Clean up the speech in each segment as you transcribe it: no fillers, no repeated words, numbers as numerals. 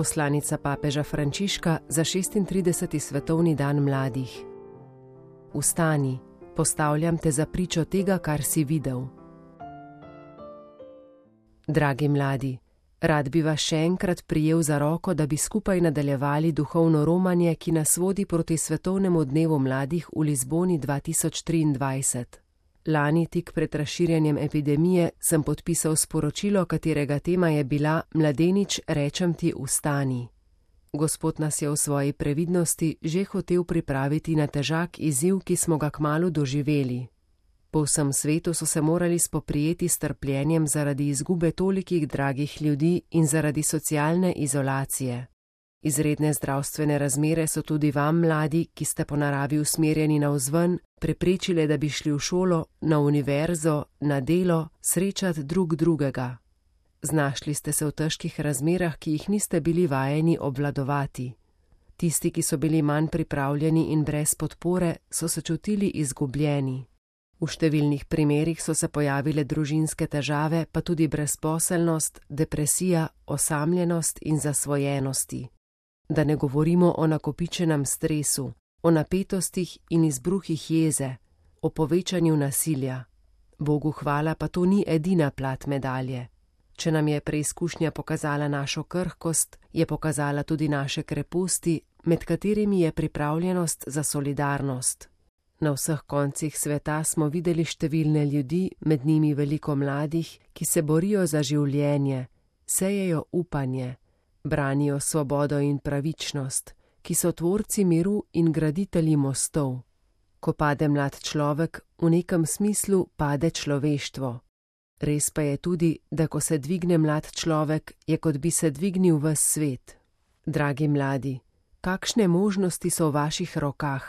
Poslanica papeža Frančiška za 36. svetovni dan mladih. Vstani, postavljam te za pričo tega, kar si videl. Dragi mladi, rad bi vas še enkrat prijel za roko, da bi skupaj nadaljevali duhovno romanje, ki nas vodi proti svetovnemu dnevu mladih v Lizboni 2023. Lani, tik pred razširjanjem epidemije, sem podpisal sporočilo, katerega tema je bila Mladenič, rečem ti, vstani. Gospod nas je v svoji previdnosti že hotel pripraviti na težak izziv, ki smo ga kmalu doživeli. Po vsem svetu so se morali spoprijeti s trpljenjem zaradi izgube tolikih dragih ljudi in zaradi socialne izolacije. Izredne zdravstvene razmere so tudi vam, mladi, ki ste po naravi usmerjeni navzven, preprečile, da bi šli v šolo, na univerzo, na delo, srečati drug drugega. Znašli ste se v težkih razmerah, ki jih niste bili vajeni obvladovati. Tisti, ki so bili manj pripravljeni in brez podpore, so se čutili izgubljeni. V številnih primerih so se pojavile družinske težave, pa tudi brezposelnost, depresija, osamljenost in zasvojenosti. Da ne govorimo o nakopičenem stresu, o napetostih in izbruhih jeze, o povečanju nasilja. Bogu hvala, pa to ni edina plat medalje. Če nam je preizkušnja pokazala našo krhkost, je pokazala tudi naše kreposti, med katerimi je pripravljenost za solidarnost. Na vseh koncih sveta smo videli številne ljudi, med njimi veliko mladih, ki se borijo za življenje, sejejo upanje, branijo svobodo in pravičnost, ki so tvorci miru in graditelji mostov. Ko pade mlad človek, v nekem smislu pade človeštvo. Res pa je tudi, da ko se dvigne mlad človek, je kot bi se dvignil ves svet. Dragi mladi, kakšne možnosti so v vaših rokah?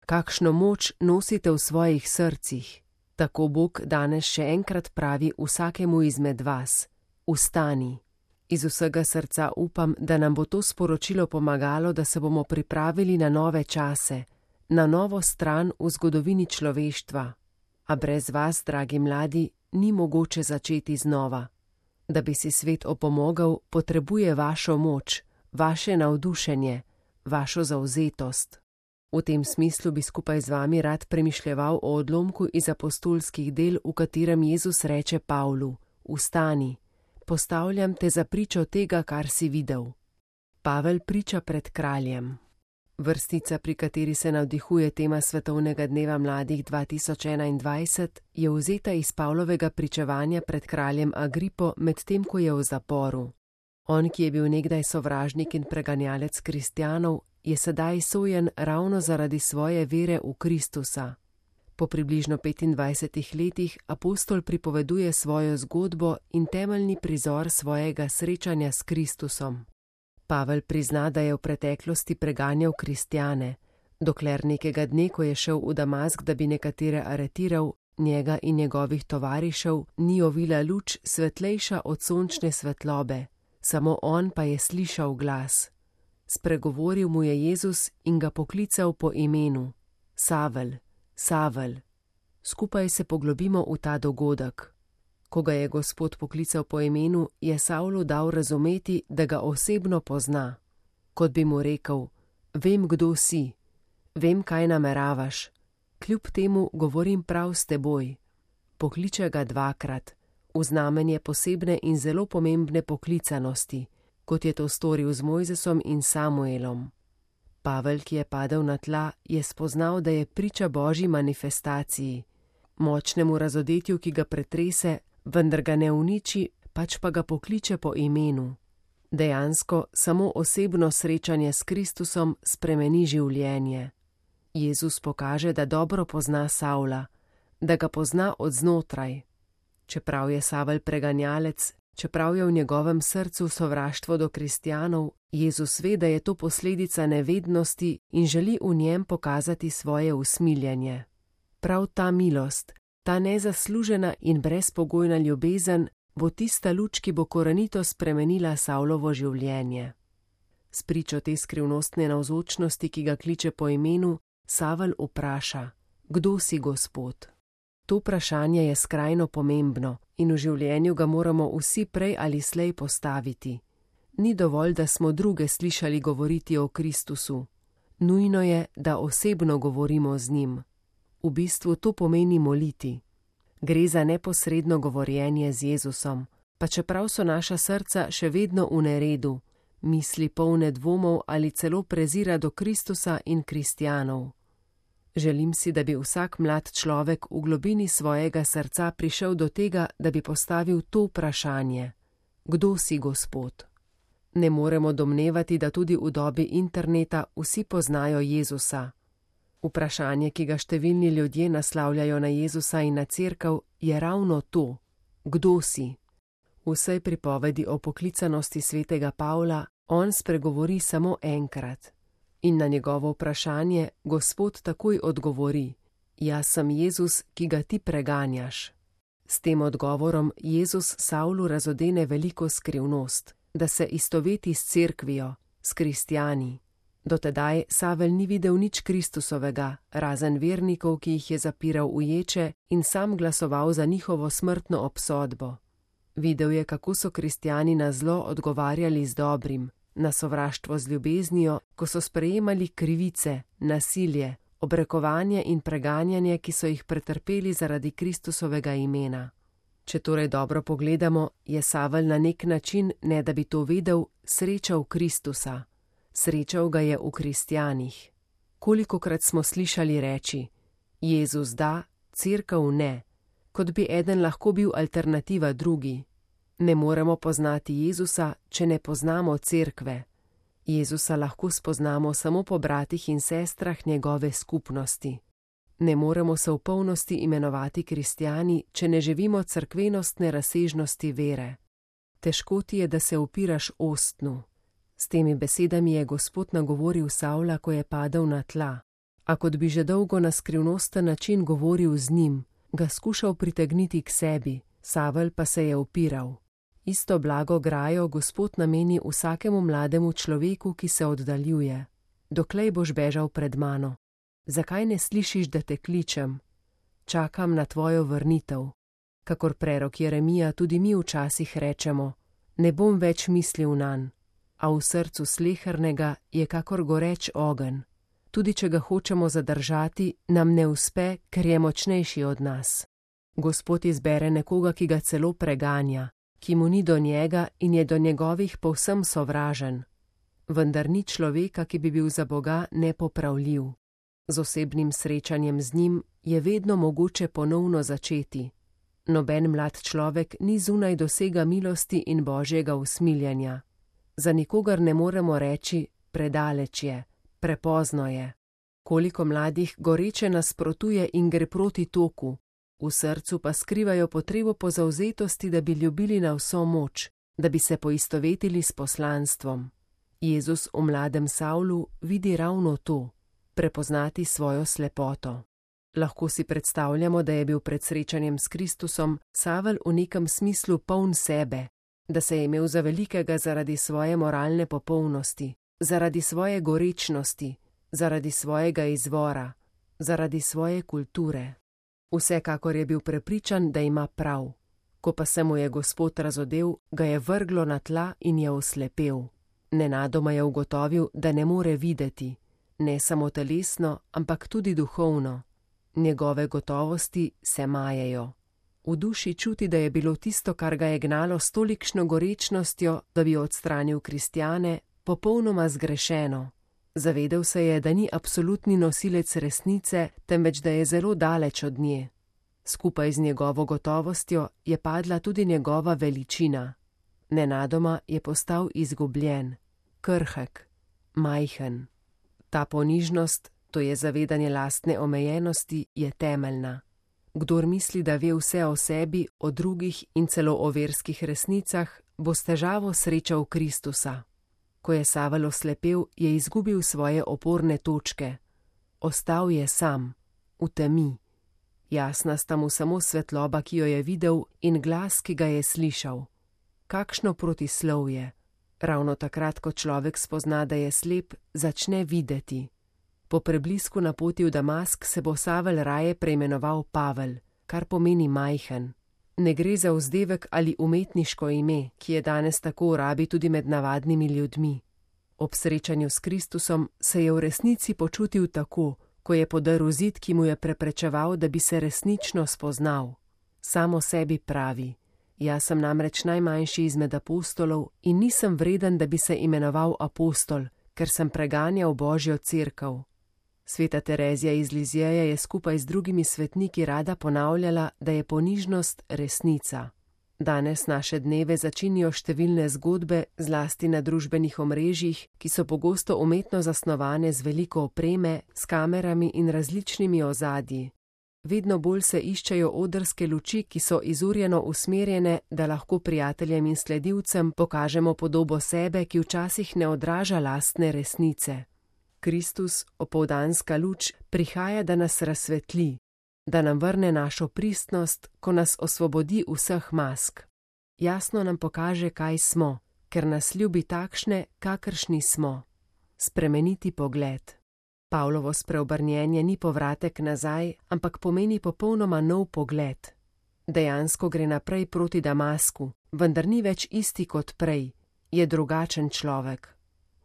Kakšno moč nosite v svojih srcih? Tako Bog danes še enkrat pravi vsakemu izmed vas: vstani. Iz vsega srca upam, da nam bo to sporočilo pomagalo, da se bomo pripravili na nove čase, na novo stran v zgodovini človeštva. A brez vas, dragi mladi, ni mogoče začeti znova. Da bi si svet opomogel, potrebuje vašo moč, vaše navdušenje, vašo zavzetost. V tem smislu bi skupaj z vami rad premišljeval o odlomku iz apostolskih del, v katerem Jezus reče Pavlu: vstani, postavljam te za pričo tega, kar si videl. Pavel priča pred kraljem. Vrstica, pri kateri se navdihuje tema Svetovnega dneva mladih 2021, je vzeta iz Pavlovega pričevanja pred kraljem Agripo, medtem ko je v zaporu. On, ki je bil nekdaj sovražnik in preganjalec kristjanov, je sedaj sojen ravno zaradi svoje vere v Kristusa. Po približno 25 letih apostol pripoveduje svojo zgodbo in temeljni prizor svojega srečanja s Kristusom. Pavel prizna, da je v preteklosti preganjal kristjane, dokler nekega dne, ko je šel v Damask, da bi nekatere aretiral, njega in njegovih tovarišev ni ovila luč svetlejša od sončne svetlobe, samo on pa je slišal glas. Spregovoril mu je Jezus in ga poklical po imenu: Savel, Savel. Skupaj se poglobimo v ta dogodek. Ko ga je Gospod poklical po imenu, je Savlu dal razumeti, da ga osebno pozna. Kot bi mu rekel: vem, kdo si, vem, kaj nameravaš, kljub temu govorim prav s teboj. Pokliče ga dvakrat, v znamenje posebne in zelo pomembne poklicanosti, kot je to storil z Mojzesom in Samuelom. Pavel, ki je padel na tla, je spoznal, da je priča Božji manifestaciji, močnemu razodetju, ki ga pretrese, vendar ga ne uniči, pač pa ga pokliče po imenu. Dejansko samo osebno srečanje s Kristusom spremeni življenje. Jezus pokaže, da dobro pozna Savla, da ga pozna od znotraj. Čeprav je Savel preganjalec, čeprav je v njegovem srcu sovraštvo do kristjanov, Jezus ve, da je to posledica nevednosti in želi v njem pokazati svoje usmiljenje. Prav ta milost, ta nezaslužena in brezpogojna ljubezen bo tista luč, ki bo korenito spremenila Savlovo življenje. S pričo te skrivnostne navzočnosti, ki ga kliče po imenu, Savel vpraša: kdo si, Gospod? To vprašanje je skrajno pomembno in v življenju ga moramo vsi prej ali slej postaviti. Ni dovolj, da smo druge slišali govoriti o Kristusu. Nujno je, da osebno govorimo z njim. V bistvu to pomeni moliti. Gre za neposredno govorjenje z Jezusom, pa čeprav so naša srca še vedno v neredu, misli polne dvomov ali celo prezira do Kristusa in kristjanov. Želim si, da bi vsak mlad človek v globini svojega srca prišel do tega, da bi postavil to vprašanje: Kdo si Gospod? Ne moremo domnevati, da tudi v dobi interneta vsi poznajo Jezusa. Vprašanje, ki ga številni ljudje naslavljajo na Jezusa in na cerkev, je ravno to: Kdo si? V vsej pripovedi o poklicanosti svetega Pavla on spregovori samo enkrat. In na njegovo vprašanje Gospod takoj odgovori: Jaz sem Jezus, ki ga ti preganjaš. S tem odgovorom Jezus Savlu razodene veliko skrivnost, da se istoveti s cerkvijo, s kristjani. Dotedaj Savel ni videl nič Kristusovega, razen vernikov, ki jih je zapiral v ječe in sam glasoval za njihovo smrtno obsodbo. Videl je, kako so kristjani na zlo odgovarjali z dobrim, na sovraštvo z ljubeznijo, ko so sprejemali krivice, nasilje, obrekovanje in preganjanje, ki so jih pretrpeli zaradi Kristusovega imena. Če torej dobro pogledamo, je Savel na nek način, ne da bi to vedel, srečal Kristusa. Srečal ga je v kristjanih. Kolikokrat smo slišali reči: Jezus da, cerkev ne, kot bi eden lahko bil alternativa drugi. Ne moremo poznati Jezusa, če ne poznamo cerkve. Jezusa lahko spoznamo samo po bratih in sestrah njegove skupnosti. Ne moremo se v polnosti imenovati kristjani, če ne živimo cerkvenostne razsežnosti vere. Težko ti je, da se upiraš ostnu. S temi besedami je Gospod nagovoril Savla, ko je padel na tla. A kot bi že dolgo na skrivnosten način govoril z njim, ga skušal pritegniti k sebi, Savel pa se je upiral. Isto blago grajo Gospod nameni vsakemu mlademu človeku, ki se oddaljuje. Doklej boš bežal pred mano? Zakaj ne slišiš, da te kličem? Čakam na tvojo vrnitev. Kakor prerok Jeremija, tudi mi včasih rečemo: Ne bom več mislil nanj. A v srcu slehernega je kakor goreč ogenj. Tudi če ga hočemo zadržati, nam ne uspe, ker je močnejši od nas. Gospod izbere nekoga, ki ga celo preganja, ki mu ni do njega in je do njegovih povsem sovražen. Vendar ni človeka, ki bi bil za Boga nepopravljiv. Z osebnim srečanjem z njim je vedno mogoče ponovno začeti. Noben mlad človek ni zunaj dosega milosti in božjega usmiljenja. Za nikogar ne moremo reči: predaleč je, prepozno je. Koliko mladih goreče nasprotuje in gre proti toku, v srcu pa skrivajo potrebo po zavzetosti, da bi ljubili na vso moč, da bi se poistovetili s poslanstvom. Jezus v mladem Savlu vidi ravno to: prepoznati svojo slepoto. Lahko si predstavljamo, da je bil pred srečanjem s Kristusom Savel v nekem smislu poln sebe, da se je imel za velikega zaradi svoje moralne popolnosti, zaradi svoje gorečnosti, zaradi svojega izvora, zaradi svoje kulture. Vsekakor je bil prepričan, da ima prav. Ko pa se mu je Gospod razodel, ga je vrglo na tla in je oslepel. Nenadoma je ugotovil, da ne more videti, ne samo telesno, ampak tudi duhovno. Njegove gotovosti se majejo. V duši čuti, da je bilo tisto, kar ga je gnalo s tolikšno gorečnostjo, da bi odstranil kristjane, popolnoma zgrešeno. Zavedel se je, da ni absolutni nosilec resnice, temveč da je zelo daleč od nje. Skupaj z njegovo gotovostjo je padla tudi njegova veličina. Nenadoma je postal izgubljen, krhek, majhen. Ta ponižnost, to je zavedanje lastne omejenosti, je temeljna. Kdor misli, da ve vse o sebi, o drugih in celo o verskih resnicah, bo s težavo srečal Kristusa. Ko je Savel oslepel, je izgubil svoje oporne točke. Ostal je sam, v temi. Jasna sta mu samo svetloba, ki jo je videl, in glas, ki ga je slišal. Kakšno protislovje! Ravno takrat, ko človek spozna, da je slep, začne videti. Po preblisku na poti v Damask se bo Savel raje preimenoval Pavel, kar pomeni majhen. Ne gre za vzdevek ali umetniško ime, ki je danes tako v rabi tudi med navadnimi ljudmi. Ob srečanju s Kristusom se je v resnici počutil tako, ko je podrl zid, ki mu je preprečeval, da bi se resnično spoznal. Sam o sebi pravi: jaz sem namreč najmanjši izmed apostolov in nisem vreden, da bi se imenoval apostol, ker sem preganjal Božjo cerkev. Sveta Terezija iz Lizjeja je skupaj z drugimi svetniki rada ponavljala, da je ponižnost resnica. Danes naše dneve začinijo številne zgodbe, zlasti na družbenih omrežjih, ki so pogosto umetno zasnovane z veliko opreme, s kamerami in različnimi ozadji. Vedno bolj se iščejo odrske luči, ki so izurjeno usmerjene, da lahko prijateljem in sledilcem pokažemo podobo sebe, ki včasih ne odraža lastne resnice. Kristus, opoldanska luč, prihaja, da nas razsvetli, da nam vrne našo pristnost, ko nas osvobodi vseh mask. Jasno nam pokaže, kaj smo, ker nas ljubi takšne, kakršni smo. Spremeniti pogled. Pavlovo spreobrnjenje ni povratek nazaj, ampak pomeni popolnoma nov pogled. Dejansko gre naprej proti Damasku, vendar ni več isti kot prej, je drugačen človek.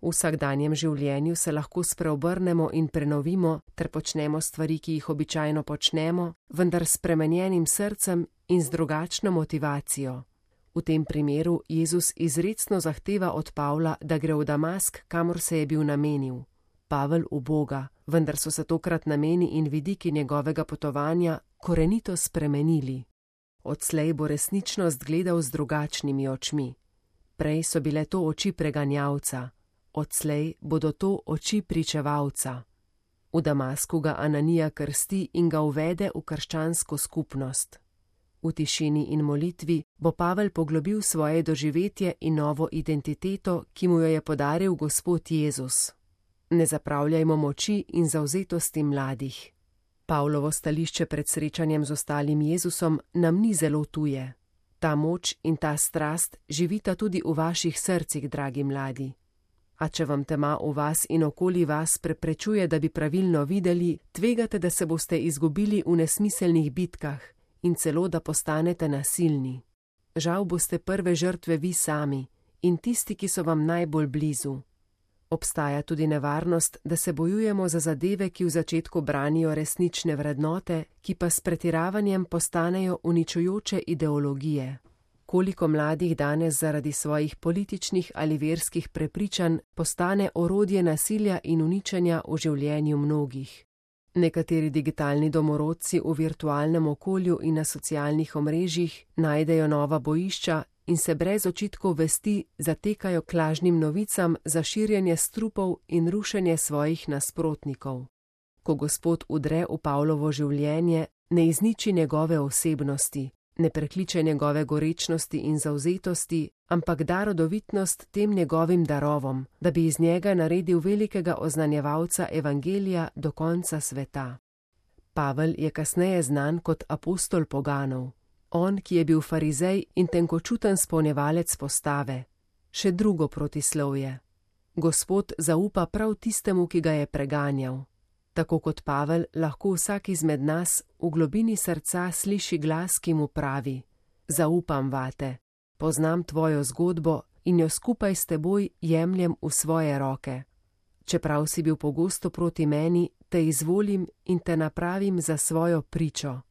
V vsakdanjem življenju se lahko spreobrnemo in prenovimo ter počnemo stvari, ki jih običajno počnemo, vendar s spremenjenim srcem in z drugačno motivacijo. V tem primeru Jezus izrecno zahteva od Pavla, da gre v Damask, kamor se je bil namenil. Pavel v Boga, vendar so se tokrat nameni in vidiki njegovega potovanja korenito spremenili. Odslej bo resničnost gledal z drugačnimi očmi. Prej so bile to oči preganjalca. Odslej bodo to oči pričevalca. V Damasku ga Ananija krsti in ga uvede v krščansko skupnost. V tišini in molitvi bo Pavel poglobil svoje doživetje in novo identiteto, ki mu jo je podaril Gospod Jezus. Ne zapravljajmo moči in zavzetosti mladih. Pavlovo stališče pred srečanjem z ostalim Jezusom nam ni zelo tuje. Ta moč in ta strast živita tudi v vaših srcih, dragi mladi. A če vam tema v vas in okoli vas preprečuje, da bi pravilno videli, tvegate, da se boste izgubili v nesmiselnih bitkah in celo, da postanete nasilni. Žal boste prve žrtve vi sami in tisti, ki so vam najbolj blizu. Obstaja tudi nevarnost, da se bojujemo za zadeve, ki v začetku branijo resnične vrednote, ki pa s pretiravanjem postanejo uničujoče ideologije. Koliko mladih danes zaradi svojih političnih ali verskih prepričanj postane orodje nasilja in uničenja v življenju mnogih. Nekateri digitalni domorodci v virtualnem okolju in na socialnih omrežjih najdejo nova bojišča in se brez očitkov vesti zatekajo k lažnim novicam za širjenje strupov in rušenje svojih nasprotnikov. Ko Gospod udre v Pavlovo življenje, ne izniči njegove osebnosti, ne prekliče njegove gorečnosti in zavzetosti, ampak da rodovitnost tem njegovim darovom, da bi iz njega naredil velikega oznanjevalca evangelija do konca sveta. Pavel je kasneje znan kot apostol poganov. On, ki je bil farizej in tenkočuten spolnjevalec postave. Še drugo protislovje. Gospod zaupa prav tistemu, ki ga je preganjal. Tako kot Pavel, lahko vsak izmed nas v globini srca sliši glas, ki mu pravi: zaupam vate, poznam tvojo zgodbo in jo skupaj s teboj jemljem v svoje roke. Čeprav si bil pogosto proti meni, te izvolim in te napravim za svojo pričo.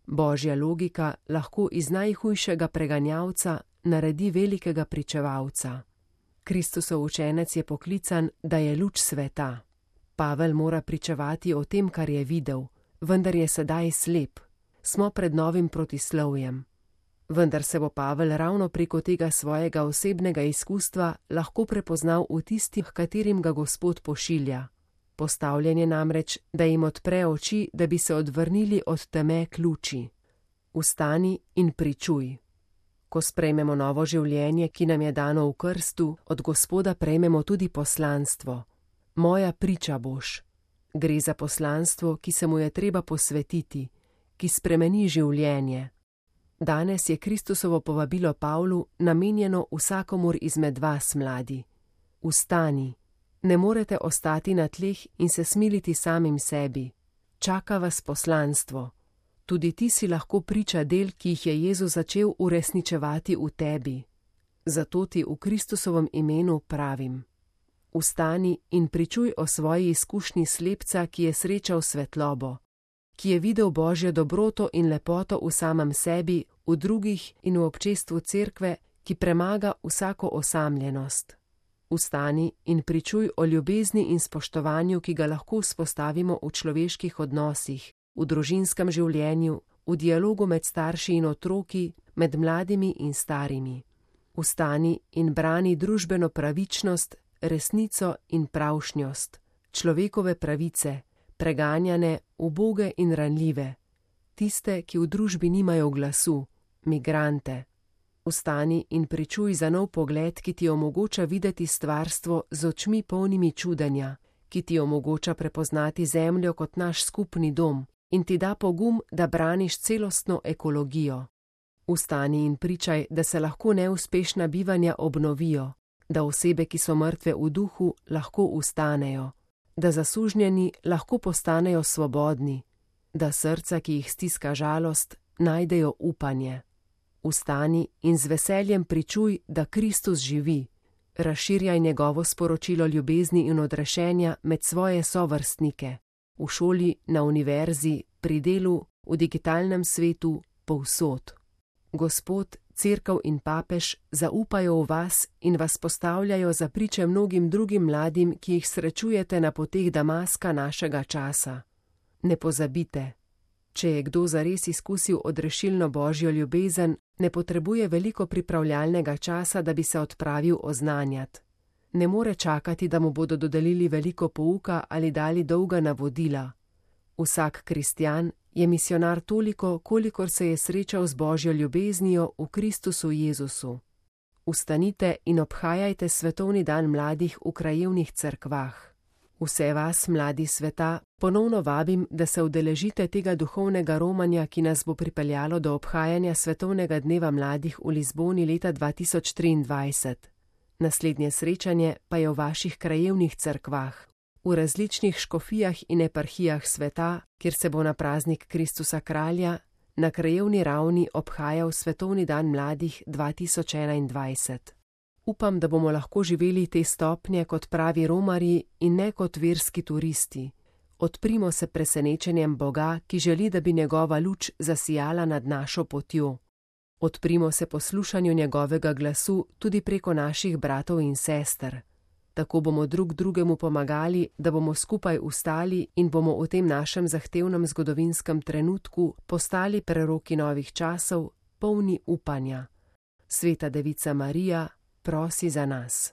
Božja logika lahko iz najhujšega preganjalca naredi velikega pričevalca. Kristusov učenec je poklican, da je luč sveta. Pavel mora pričevati o tem, kar je videl, vendar je sedaj slep. Smo pred novim protislovjem. Vendar se bo Pavel ravno preko tega svojega osebnega izkustva lahko prepoznal v tistih, katerim ga Gospod pošilja. Postavljen je namreč, da jim odpre oči, da bi se odvrnili od teme k luči. Vstani in pričuj. Ko sprejmemo novo življenje, ki nam je dano v krstu, od Gospoda prejmemo tudi poslanstvo. Moja priča boš. Gre za poslanstvo, ki se mu je treba posvetiti, ki spremeni življenje. Danes je Kristusovo povabilo Pavlu namenjeno vsakomur izmed vas, mladi. Vstani. Ne morete ostati na tleh in se smiliti samim sebi. Čaka vas poslanstvo. Tudi ti si lahko priča del, ki jih je Jezus začel uresničevati v tebi. Zato ti v Kristusovem imenu pravim: vstani in pričuj o svoji izkušnji slepca, ki je srečal svetlobo, ki je videl Božjo dobroto in lepoto v samem sebi, v drugih in v občestvu cerkve, ki premaga vsako osamljenost. Vstani in pričuj o ljubezni in spoštovanju, ki ga lahko vzpostavimo v človeških odnosih, v družinskem življenju, v dialogu med starši in otroki, med mladimi in starimi. Vstani in brani družbeno pravičnost, resnico in pravšnjost, človekove pravice, preganjane, uboge in ranljive, tiste, ki v družbi nimajo glasu, migrante. Vstani in pričuj za nov pogled, ki ti omogoča videti stvarstvo z očmi polnimi čudenja, ki ti omogoča prepoznati zemljo kot naš skupni dom in ti da pogum, da braniš celostno ekologijo. Vstani in pričaj, da se lahko neuspešna bivanja obnovijo, da osebe, ki so mrtve v duhu, lahko vstanejo, da zasužnjeni lahko postanejo svobodni, da srca, ki jih stiska žalost, najdejo upanje. Vstani in z veseljem pričuj, da Kristus živi. Razširjaj njegovo sporočilo ljubezni in odrešenja med svoje sovrstnike, v šoli, na univerzi, pri delu, v digitalnem svetu, povsod. Gospod, cerkev in papež zaupajo v vas in vas postavljajo za priče mnogim drugim mladim, ki jih srečujete na poteh Damaska našega časa. Ne pozabite, če je kdo zares izkusil odrešilno Božjo ljubezen, ne potrebuje veliko pripravljalnega časa, da bi se odpravil oznanjat. Ne more čakati, da mu bodo dodelili veliko pouka ali dali dolga navodila. Vsak kristjan je misionar toliko, kolikor se je srečal z Božjo ljubeznijo v Kristusu Jezusu. Vstanite in obhajajte svetovni dan mladih v krajevnih cerkvah. Vse vas, mladi sveta, ponovno vabim, da se udeležite tega duhovnega romanja, ki nas bo pripeljalo do obhajanja svetovnega dneva mladih v Lizboni leta 2023. Naslednje srečanje pa je v vaših krajevnih cerkvah, v različnih škofijah in eparhijah sveta, kjer se bo na praznik Kristusa Kralja na krajevni ravni obhajal svetovni dan mladih 2021. Upam, da bomo lahko živeli te stopnje kot pravi romarji in ne kot verski turisti. Odprimo se presenečenjem Boga, ki želi, da bi njegova luč zasijala nad našo potjo. Odprimo se poslušanju njegovega glasu tudi preko naših bratov in sester. Tako bomo drug drugemu pomagali, da bomo skupaj vstali in bomo v tem našem zahtevnem zgodovinskem trenutku postali preroki novih časov, polni upanja. Sveta Devica Marija, prosi za nas.